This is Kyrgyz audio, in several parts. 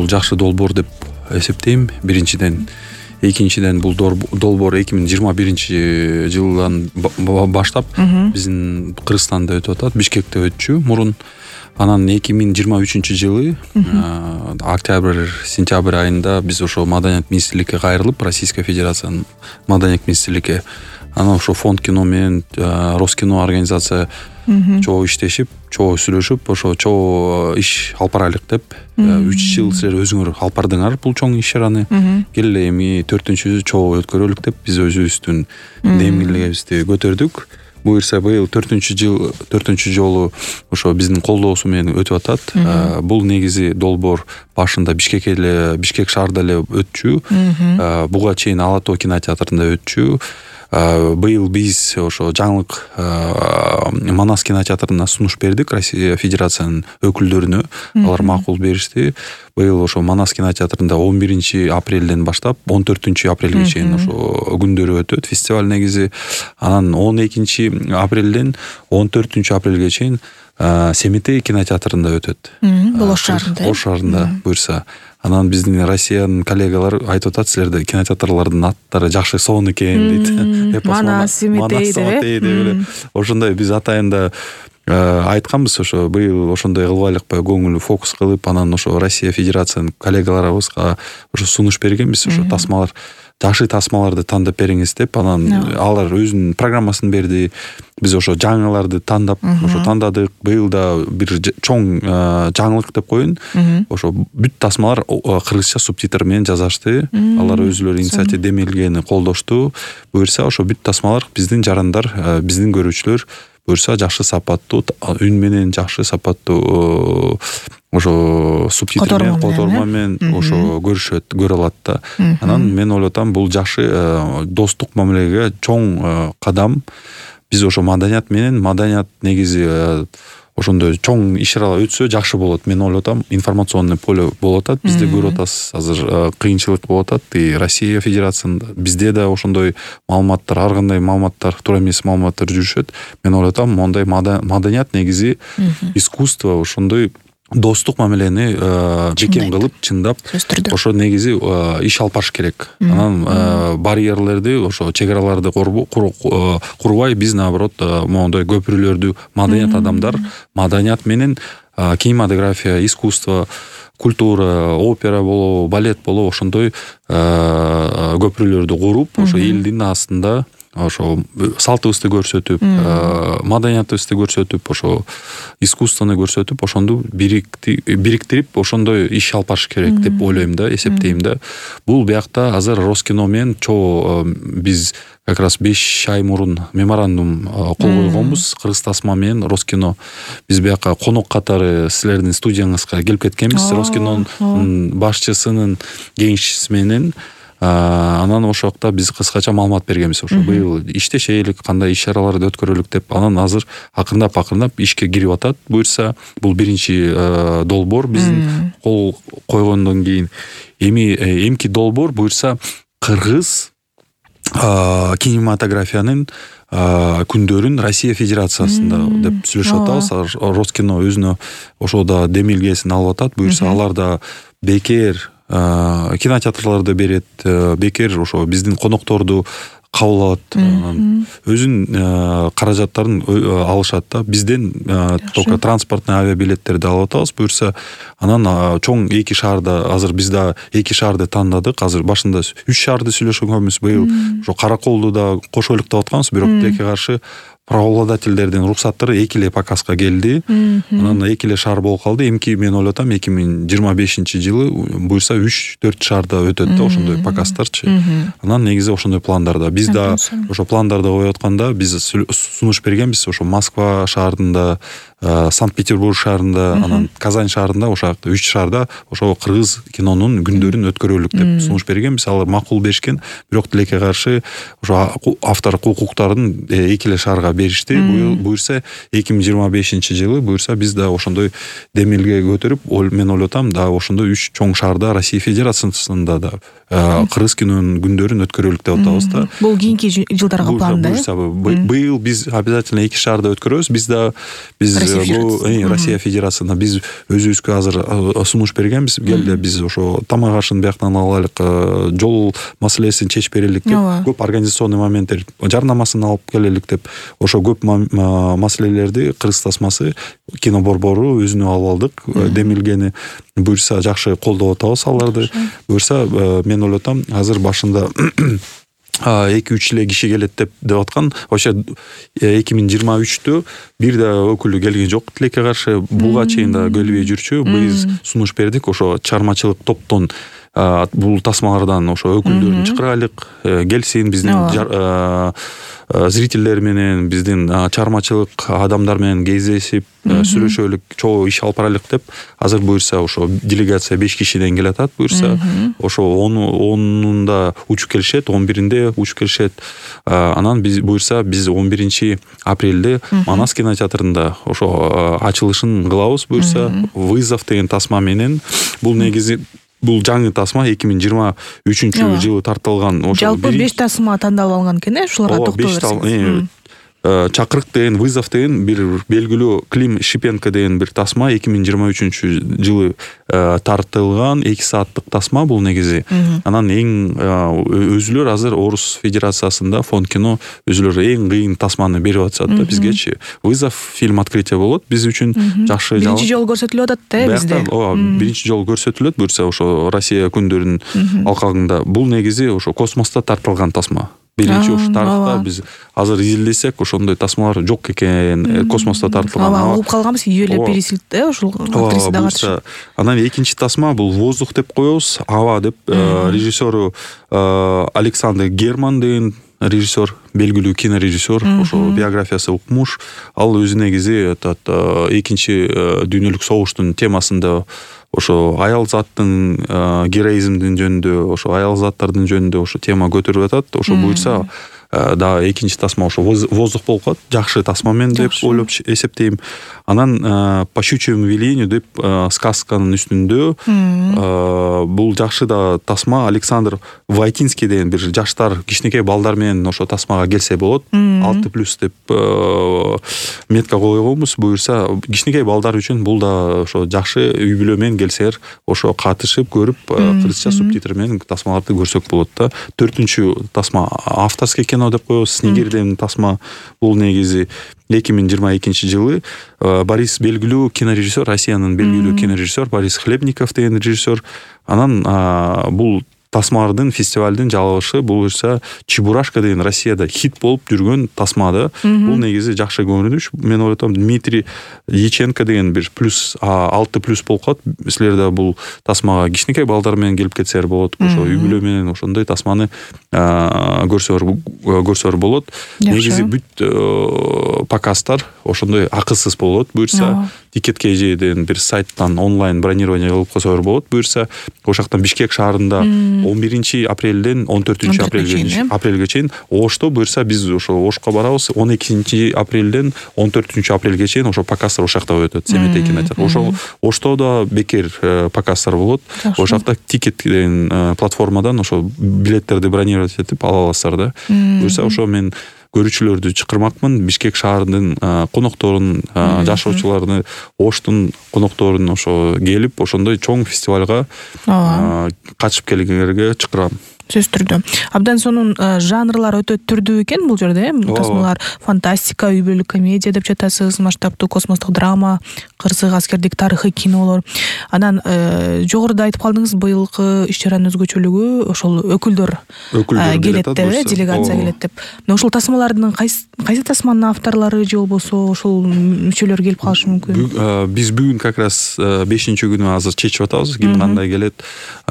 бул жакшы долбоор деп эсептейм. Биринчиден, экинчиден бул долбоор 2021-жылдан баштап биздин Кыргызстанда өтүп атат, Бишкекте өтчү мурун. Анан 2023-жылы октябрь-сентябрь айында биз ошо Маданият министрликке кайрылып, Российская Федерациянын Маданият министрликке, анан ошо фонд кино менен Роскино организация чоо иштешип, чоо сүйлөшүп, ошо чоо иш алып барайлык деп 3 жыл силер өзүңөр алып бардыңар бул чоң иш-чараны. Келе эми 4-чү чоо өткөрөлүк деп биз өзүбүздүн демгилигибизди көтөрдүк. Буюрса быйыл 4-чү жолу ошо биздин колдоосу менен өтүп атат. Бул негизи долбоор башында Бишкек шаарда эле өтчү. Буга чейин Ала Тоо кинотеатрында өтчү. Быйыл биз ошо жаңылык Манас кинотеатрына сунуш бердик Россия Федерациянын өкүлдөрүнө. Алар макул беришти. Быйыл ошо Манас кинотеатрында 11-апрелден баштап 14-апрелге чейин ошо күндөрү өтөт фестиваль негизи. Анан 12-апрелден 14-апрелге чейин Семетей кинотеатрында өтөт. Ош шаарында буюрса. Анан биздин Россиянын коллегалар айтып атат, силерде кинотеатрлардын аттары жакшы сонун экен дейт. Манас, Семетей деп. Ошондой биз атайында айтканбыз, ошо быйыл ошондой кылбайлыкпы, көңүл фокус кылып, анан ошо Россия Федерациянын коллегаларыбызга ошо сунуш бергенбиз, ошо тасмалар, жакшы тасмаларды тандап бериңиз деп. Анан алар өзүнүн программасын берди. Биз ошо жаңыларды тандап, ошо тандадык. Быйыл да бир чоң жаңылык деп коеюн. Ошо бүт тасмалар кыргызча субтитр менен жазашты. Алар өзүлөрү инициатива демилгени колдошту. Буюрса ошо бүт тасмалар биздин жарандар, биздин көрүүчүлөр буюрса жакшы сапаттуу үн менен, жакшы сапаттуу ошо субтитр менен, которма менен ошо көрө алат да. Анан мен ойлоп атам, бул жакшы достук мамилеге чоң кадам. Биз ошо Маданият менен, Маданият негизи ошондой чоң иш-чаралар өтсө жакшы болот. Мен ойлоп атам, информационный поле болуп атат. Бизде көрүп атасыз, азыр кыйынчылык болуп атат. И Россия Федерациясында бизде да ошондой маалыматтар, ар кандай маалыматтар, туура эмес маалыматтар жүрүшөт. Мен ойлоп атам, мондай Маданият негизи искусство ошондой достук мамилени бекем кылып, чындап, ошо негизи иш алып барыш керек. Анан барьерлерди, ошо чек араларды курбай, биз наоборот моундай көпүрөлөрдү, Маданият адамдар, Маданият менен кинематография, искусство, культура, опера болобу, балет болобу, ошондой көпүрөлөрдү куруп, ошо элдин астында ошо салтыбызды көрсөтүп, маданиятыбызды көрсөтүп, ошо искусствону көрсөтүп, ошонду бириктирип, ошондой иш алып барыш керек деп ойлойм да, эсептейм да. Бул биякта азыр Роскино менен чоо биз как раз 5 ай мурун меморандум кол койгонбуз. Кыргыз тасма менен Роскино. Биз бияка конок катары силердин студияңызга келип кеткенбиз, Роскинонун башчысынын кеңешчиси менен. Анан ошол жакта биз кыскача маалымат бергенбиз. Ошо быйыл иштешелик, кандай иш-чараларды өткөрөлүк деп. Анан азыр акырындап ишке кирип атат. Буюрса, бул биринчи долбоор биздин кол койгондон кийин. Эмки долбоор буюрса кыргыз кинематографиянын күндөрүн Россия Федерациясында деп сүйлөшүп атабыз. Роскино өзүнө ошода демилгесин алып атат. Буюрса алар да бекер кинотеатрларды берет, бекер ошо биздин конокторду кабыл алат, өзүнүн каражаттарын алышат да. Бизден только транспортный авиабилеттерди алып атабыз. Буюрса, анан чоң 2 шаарда, азыр биз да 2 шаарды тандадык. Азыр башында 3 шаарды сүйлөшкөнбүз. Быйыл ошо Караколду да кошойлук деп атканбыз, бирок тилекке каршы правообладательдердин уруксаттары 2 эле показга келди. Анан 2 эле шаар болуп калды. Эмки мен ойлоп атам, 2025-жылы буюрса 3-4 шаарда өтөт да ошондой показдарчы. Анан негизи ошондой пландарда. Биз да ошо пландарды коюп атканда биз сунуш бергенбиз. Ошо Москва шаарында, Санкт-Петербург шаарында, анан Казань шаарында, ошо 3 шаарда ошо кыргыз кинонун күндөрүн өткөрөлүк деп сунуш бергенбиз. Алар макул беришкен, бирок тилекке каршы ошо авторлук укуктарын 2 эле шаарга беришти. Буюрса 2025-жылы буюрса биз да ошондой демилге көтөрүп, мен ойлоп атам, да ошондой 3 чоң шаарда Россия Федерациясында да кыргыз кинонун күндөрүн өткөрөлүк деп атабыз да. Бул кийинки жылдарга планда. Быйыл биз обязательно 2 шаарда өткөрөбүз. Биз Россия Федерациясына биз өзүбүзгө азыр сунуш бергенбиз. Келди биз ошо тамак ашын бияктан алайлык, жол маселесин чечип берелик деп, көп организационный моменттер жарнамасын алып келелик деп, ошо көп маселелерди Кыргыз тасмасы кино борбору өзүнө алып алдык. Демилгени буюрса жакшы колдоп атабыз аларды. Буюрса мен ойлоп атам, азыр башында 2-3 эле киши келет деп аткан. Ошо 2023-тө бир да өкүлү келген жок тилекке каршы. Буга чейин да келбей жүрчү. Биз сунуш бердик. Ошо чыгармачылык топтон бул тасмалардан ошо өкүлдөрүн чакырайлык, келсин биздин зрительдер менен, биздин чыгармачылык адамдар менен кездешип, сүйлөшөлүк, чогуу иш алып барайлык деп. Азыр буюрса ошо делегация 5 кишиден келе атат. Буюрса ошо 10-унда учуп келишет, 11-инде учуп келишет. Анан биз буюрса 11 апрелде Манас кинотеатрында ошо ачылышын кылабыз. Буюрса «Вызов» деген тасма менен, бул негизи бул жаңы тасма 2023-жылы тартылган. Жалпы 5 тасма тандалып алынган экен, ушуларга токтоло берсеңиз. Чакырык деген, «Вызов» деген бир белгилүү, Клим Шипенко деген бир тасма 2023-жылы тартылган 2 сааттык тасма бул негизи. Анан эң өзүлөр азыр Орус Федерациясында фонд кино өзүлөр эң кыйын тасманы берип атышат да бизгечи. «Вызов» фильм открытие болот биз үчүн жакшы. Биринчи жолу көрсөтүлүп атат да бизде. Биринчи жолу көрсөтүлөт. Буюрса ошо Россия күндөрүнүн алкагында. Бул негизи ошо космоста тартылган тасма. Биринчи ушу тарыхта биз азыр изилдесек ошондой тасмалар жок экен, космоста тартылган. Угуп калганбыз, Юлия Пересильд ушул актриса да катышат. Анан экинчи тасма бул «Воздух» деп коебуз, «Аба» деп. Режиссеру Александр Герман деген режиссер, белгилүү кинорежиссер, ошо биографиясы укмуш. Ал өзү негизи экинчи дүйнөлүк согуштун темасында ошо аял заттын героизмдин жөнүндө, ошо аял заттардын жөнүндө ошо тема көтөрүп атат. Ошо буюрса да экинчи тасма ошо «Воздух» болуп калат. Жакшы тасма мен деп ойлоп эсептейм. Анан «По щучьему велению» деп сказканын үстүндө бул жакшы да тасма. Александр Войтинский деген бир жаштар, кичинекей балдар менен ошо тасмага келсе болот. 6+ деп метка койгонбуз. Буюрса кичинекей балдар үчүн бул да ошо жакшы, үй бүлө менен келсер ошо катышып көрүп, кыргызча субтитр менен тасмаларды көрсөк болот да. 4-үнчү тасма авторский кино деп коебуз. «Снегирь» деген тасма. Бул негизи 2022-жылы Борис, белгилүү кинорежиссер, Россиянын белгилүү кинорежиссер Борис Хлебников деген режиссер. Анан бул тасмалардын фестивалдын жалабышы буюрса «Чебурашка» деген Россияда хит болуп жүргөн тасмада. Бул негизи жакшы көрүнүш. Мен ойлотом, Дмитрий Яченко деген бир +6+ болуп калат. Силерде бул тасмага кичинекей балдар менен келип кетсер болот. Ошо үй бүлө менен ошондой тасманы көрсөр болот. Негизи бүт показдар ошондой акысыз болот. Буюрса Ticket.kg деген бир сайттан онлайн бронирование кылып койсоор болот. Буюрса ошоктон Бишкек шаарында 11 апрелден 14 апрелге чейин Ошто, буюрса биз ошо Ошко барабыз. 12 апрелден 14 апрелге чейин ошо показдар ошакта өтөт. Семетей кинотеатр. Ошо Оштодо бекер показдар болот. Ошакта Ticket деген платформадан ошо билеттерди бронировать этип ала аласыздар да. Буюрса ошо мен көрүүчүлөрдү чакырмакмын. Бишкек шаарынын конокторун, жашоочуларын, Оштун конокторун ошо келип, ошондой чоң фестивалга катышып келгендерге чакырам. Сөз түрдө. Абдан сонун жанрлар өтө түрдүү экен бул жерде. Тасмалар фантастика, үй бүлөлүк комедия деп жатасыз, масштабтуу космостук драма, кырсык аскердик тарыхый кинолор. Анан жогоруда айтып калдыңыз, быйылкы иш-чаранын өзгөчөлүгү ошол өкүлдөр келет деп, делегация келет деп. Ошол тасмалардын кайсы тасманын авторлору же болбосо ошол мүчөлөр келип калышы мүмкүн? Биз бүгүн как раз 5-күнү азыр чечип атабыз, ким кандай келет.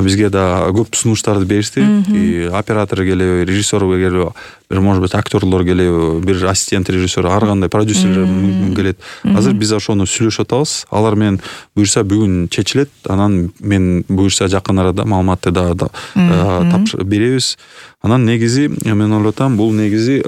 Бизге да көп сунуштарды беришти. Оператор келеби, режиссер келеби, бир может быть актерлор келеби, бир ассистент режиссер, ар кандай продюсерлер мүмкүн келет. Азыр биз ошону сүйлөшүп атабыз. Алар менен буюрса бүгүн чечилет. Анан мен буюрса жакын арада маалыматты да беребиз. Анан негизи мен ойлотам, бул негизи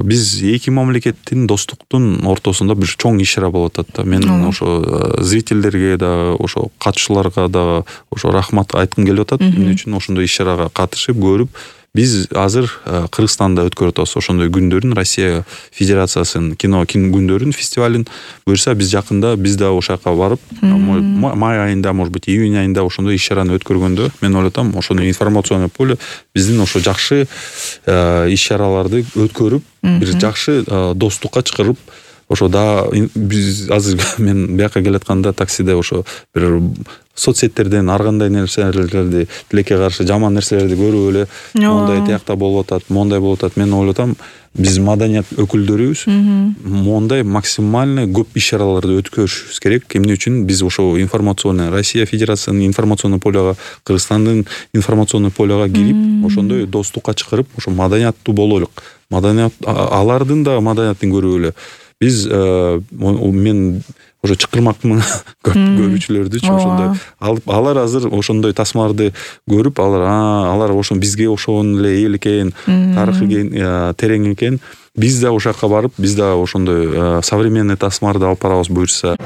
биз эки мамлекеттин достуктун ортосунда бир чоң иш-чара болуп атат да. Мен ошо зрительдерге да, ошо катышууларга да ошо рахмат айткым келип атат. Эмне үчүн ошондой иш-чарага катышып көрүп, биз азыр Кыргызстанда өткөрүп атабыз ошондой күндөрүн, Россия Федерациясынын кино күндөрүн фестивалын. Буюрса биз жакында биз да ошол жака барып, май айында, может быть, июнь айында ошондой иш-чараны өткөргөндө мен ойлотом, ошондой информационный поле биздин ошо жакшы иш-чараларды өткөрүп, бир жакшы достукка чакырып, ошо да биз азыр мен бияка келатканда таксиде ошо бир соцсеттерден ар кандай нерселерди, тилекке каршы жаман нерселерди көрүп эле мондай тиякта болуп атат, мондай болуп атат. Мен ойлотом, биз маданият өкүлдөрүбүз мондай максимально көп иш-чараларды өткөрүшүбүз керек. Эмне үчүн? Биз ошо информационный, Россия Федерациясынын информационный полега, Кыргызстандын информационный полега кирип, ошондой достукка чакырып, ошо маданияттуу бололук. Маданият алардын да маданиятын көрүп эле. Биз мен ошо чакырмакмын көп көрүүчүлөрдүчү ошондой алып, алар азыр ошондой тасмаларды көрүп, алар ошо бизге ошон эле эл экен, тарыхы терең экен. Биз да ошол жака барып, биз да ошондой современный тасмаларды алып барабыз буюрса.